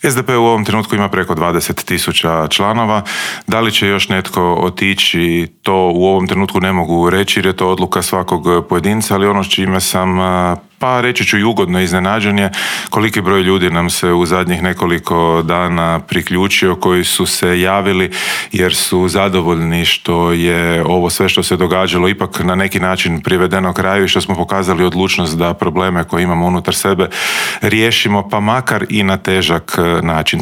SDP u ovom trenutku ima preko 20.000 članova. Da li će još netko otići, to u ovom trenutku ne mogu reći jer je to odluka svakog pojedinca, ali ono s čime sam, pa reći ću i ugodno iznenađen je koliki broj ljudi nam se u zadnjih nekoliko dana priključio koji su se javili jer su zadovoljni što je ovo sve što se događalo ipak na neki način privedeno kraju i što smo pokazali odlučnost da probleme koje imamo unutar sebe riješimo pa makar i na težak način.